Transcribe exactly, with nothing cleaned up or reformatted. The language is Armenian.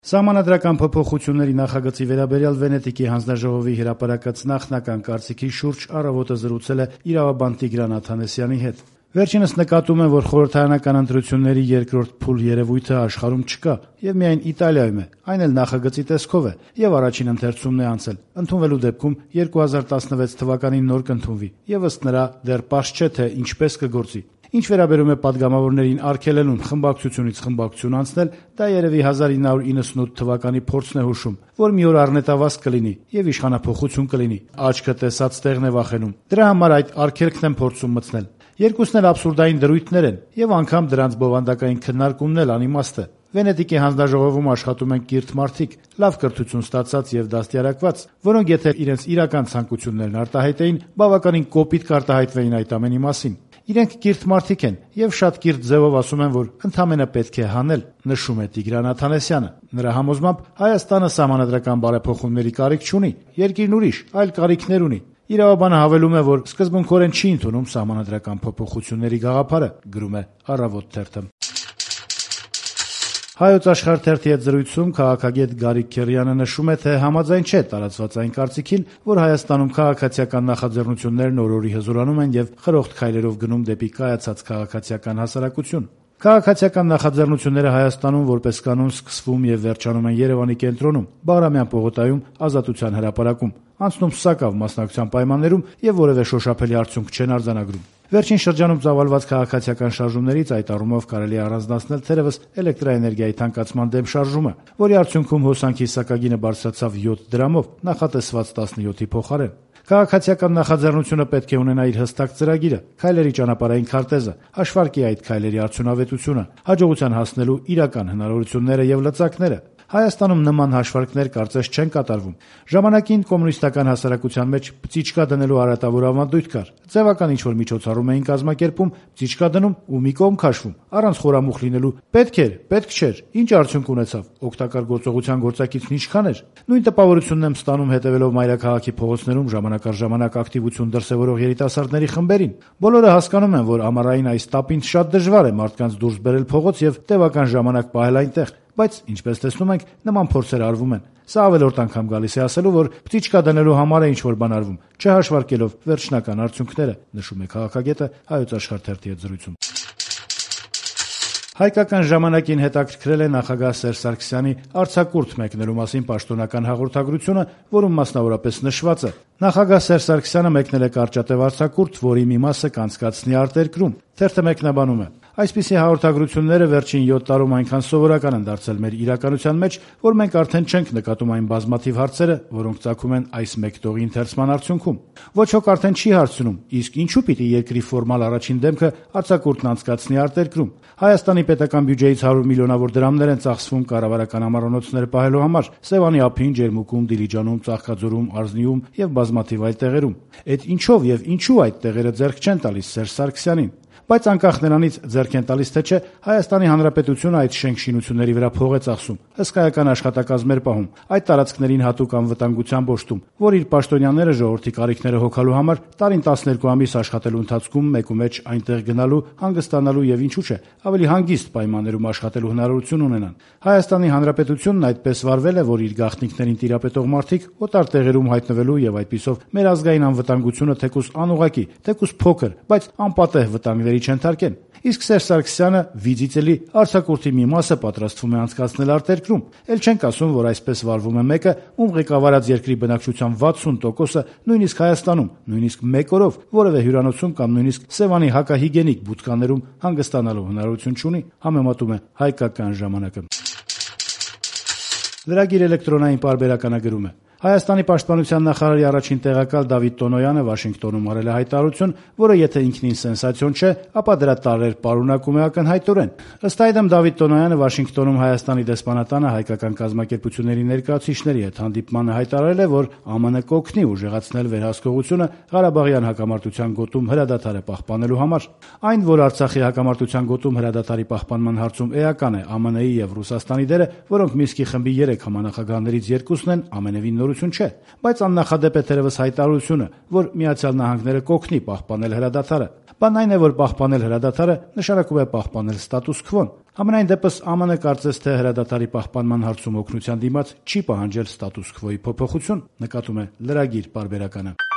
Սահմանադրական փոփոխությունների նախագծի վերաբերյալ Վենետիկի հանձնաժողովի հրապարակած նախնական կարծիքի շուրջ «Առավոտը» զրուցել է իրավաբան Տիգրան Աթանեսյանի հետ։ Վերջինս նկատում է, որ խորհրդարանական ընտրությունների երկրորդ փուլ երևույթը աշխարհում չկա եւ միայն Իտալիայում է, այն էլ նախագծի տեսքով է եւ առաջին ընթերցումն է անցել։ Ընդունվելու դեպքում երկու հազար տասնվեց թվականին նոր կընդունվի եւ ըստ նրա դեռ պարզ չէ, թե ինչպես կգործի։ Ինչ վերաբերում է падգամավորներին արգելելուն խմբակցությունից խմբակցություն անցնել, դա երևի հազար ինը հարյուր իննսունութ թվականի փորձն է հուշում, որ մի օր առնետավազք կլինի եւ իշխանափոխություն կլինի։ Աչքը տեսած տեղն է վախենում։ Դրա համար այդ արգելքն են փորձում մտցնել։ Երկուսն էլ աբսուրդային դրույթներ են եւ անգամ դրանց բովանդակային քննարկումն էլ անիմաստ է։ Վենետիկի հանձնաժողովում աշխատում են կիրթ մարդիկ, լավ կրթություն ստացած եւ դաստիարակված, որոնք եթե իրենց իրական ցանկություններն արտահայտեին, բավականին կոպիտ կարտահայտվեին այդ ամենի մասին։ Իրենք կիրթ մարդիկ են եւ շատ կիրթ ձևով ասում են, որ ընդամենը պետք է հանել, նշում է Տիգրան Աթանեսյանը։ Նրա համոզմամբ Հայաստանը սահմանադրական բարեփոխումների կարիք չունի, երկիրն ուրիշ, այլ կարիքներ ունի։ Իրավաբանը հավելում է, որ սկզբունքորեն չի ընդունում սահմանադրական փոփոխությունների գաղափարը, գրում է Առավոտ թերթը։ Հայոց Աշխարհ թերթի հետ զրույցում քաղաքագետ Գարիկ Քերյանը նշում է, թե համաձայն չէ տարածված այն կարծիքին, որ Հայաստանում քաղաքացիական նախաձեռնություններն օր-օրի հզորանում են եւ խրոխտ քայլերով գնում դեպի կայացած քաղաքացիական հասարակություն։ Քաղաքացիական նախաձեռնությունները Հայաստանում որպես կանոն սկսվում եւ վերջանում են Երևանի կենտրոնում, Բաղրամյան պողոտայում, Ազատության հրապարակում, անցնում Սակավ մասնակցության պայմաններում եւ որևէ շոշափելի արդյունք չեն արձանագրում։ Վերջին շրջանում ծավալված քաղաքացիական շարժումներից այդ առումով կարելի է առանձնացնել թերևս էլեկտրաէներգիայի թանկացման դեմ շարժումը, որի արդյունքում հոսանքի սակագինը բարձրացավ յոթ դրամով, նախատեսված տասնյոթի փոխարեն։ Քաղաքացիական նախաձեռնությունը պետք է ունենա իր հստակ ծրագիրը, քայլերի ճանապարհային քարտեզը, հաշվարկի այդ քայլերի արդյունավետությունը, հաջողության հասնելու իրական հնարավորությունները եւ լծակները։ Հայաստանում նման հաշվարկներ կարծես չեն կատարվում։ Ժամանակին կոմունիստական հասարակության մեջ պծիճկա դնելու արատավոր ավանդույթ կար։ Ձևական ինչ-որ միջոցառում էին կազմակերպում, պծիճկա դնում ու մի կողմ քաշվում, առանց խորամուխ լինելու։ Պետք էր, պետք չէր, ինչ արդյունք ունեցավ, օգտակար գործողության գործակիցն ինչքան էր։ Նույն տպավորությունն եմ ստանում հետևելով մայրաքաղաքի փողոցներում ժամանակ առ ժամանակ ակտիվություն դրսևորող երիտասարդների խմբերին։ Բոլորը հասկանում են, որ ամառային այս տապին շատ դժվար է մարդկանց դուրս բերել փողոց եւ տևական ժամանակ պահել այնտեղ։ Բայց, ինչպես տեսնում ենք, նման փորձեր արվում են։ Սա ավելորդ անգամ գալիս է ասելու, որ պծիճկա դնելու համար է ինչ-որ բան արվում, չհաշվարկելով վերջնական արդյունքները, նշում է քաղաքագետը Հայոց Աշխարհ թերթի հետ զրույցում։ Հայկական ժամանակին հետաքրքրել է նախագահ Սերժ Սարգսյանի արձակուրդ մեկնելու մասին պաշտոնական հաղորդագրությունը, որում մասնավորապես նշված է. Նախագահ Սերժ Սարգսյանը մեկնել է կարճատև արձակուրդ, որի մի մասը կանցկացնի արտերկրում։ Թերթը մեկնաբանում է. Այսպիսի հաղորդագրությունները վերջին յոթ տարում այնքան սովորական են դարձել մեր իրականության մեջ, որ մենք արդեն չենք նկատում այն բազմաթիվ հարցերը, որոնք ծագում են այս մեկտողի ընթերցման արդյունքում։ Ոչ ոք արդեն չի հարցնում, իսկ ինչու պիտի երկրի ֆորմալ առաջին դեմքը արձակուրդն անցկացնի արտերկրում։ Հայաստանի պետական բյուջեից հարյուր միլիոնավոր դրամներ են ծախսվում կառավարական ամառանոցներ պահելու համար Սևանի ափին, Ջերմուկում, Դիլիջանում, Ծաղկաձորում, Արզնիում եւ բազմաթիվ այլ տեղերում։ Այդ ինչով եւ ինչու այդ տեղերը ձեռք չեն տալիս Սերժ Սարգսյանին։ Բայց անկախ նրանից ձեռք են տալիս թե չէ, Հայաստանի Հանրապետությունը այդ շենք-շինությունների վրա փող է ծախսում, հսկայական աշխատակազմեր պահում, այդ տարածքներին հատուկ անվտանգությամբ օժտում, որ իր պաշտոնյաները ժողովրդի կարիքները հոգալու համար տարին տասներկու ամիս աշխատելու ընթացքում մեկումեջ այնտեղ գնալու, հանգստանալու եւ ինչու՞ չէ, ավելի հանգիստ պայմաններում աշխատելու հնարավորություն ունենան։ Հայաստանի Հանրապետությունն այդպես վարվել է, որ իր գաղտնիքներին տիրապետող մարդիկ օտար տեղերում հայտնվելու եւ այդպիսով մեր ազգային անվտանգությունը թեկուզ անուղղակի, թեկուզ փոքր, բայց անպատեհ վտանգների չընթարկեն։ Իսկ Սերժ Սարգսյանը վիզիտելի արձակուրդի մի մասը պատրաստվում է անցկացնել արտերկրում։ Էլ չենք ասում, որ այսպես վարվում է մեկը, ում ղեկավարած երկրի բնակչության վաթսուն տոկոսը նույնիսկ Հայաստանում, նույնիսկ մեկ օրով որևէ հյուրանոցում կամ նույնիսկ Սևանի հակահիգենիկ բուտկաներում հանգստանալու հնարավորություն չունի, համեմատում է Հայկական ժամանակը։ Լրագիր էլեկտրոնային պարբերականագրում է. Հայաստանի պաշտպանության նախարարի առաջին տեղակալ Դավիթ Տոնոյանը Վաշինգտոնում արել է հայտարարություն, որը եթե ինքնին սենսացիոն չէ, ապա դրա տարրեր պարունակում է ակնհայտորեն։ Ըստ այդմ Դավիթ Տոնոյանը Վաշինգտոնում Հայաստանի դեսպանատանը հայկական կազմակերպությունների ներկայացուցիչների հետ հանդիպմանը հայտարարել է, որ ԱՄՆ կօգնի ուժեղացնել վերահսկողությունը Ղարաբաղյան հակամարտության գոտում հրադադարը պահպանելու համար։ Այն, որ Արցախի հակամարտության գոտում հրադադարի պահպանման հարցում էական է ԱՄՆ-ի եւ Ռուսաստանի դերը, որոնք Մինսկի խմբի երեք համանախագահներից երկուսն են, ամենևին նորություն չէ, բայց աննախադեպ է թերևս հայտարարությունը, որ Միացյալ Նահանգները կօգնի պահպանել հրադադարը։ Բանն այն է, որ պահպանել հրադադարը նշանակում է պահպանել ստատուս քվոն։ Համենայն դեպս ԱՄՆ կարծես թե հրադադարի պահպանման հարցում օգնության դիմաց չի պահանջել ստատուս քվոյի փոփոխություն, նկատում է լրագիր պարբերականը։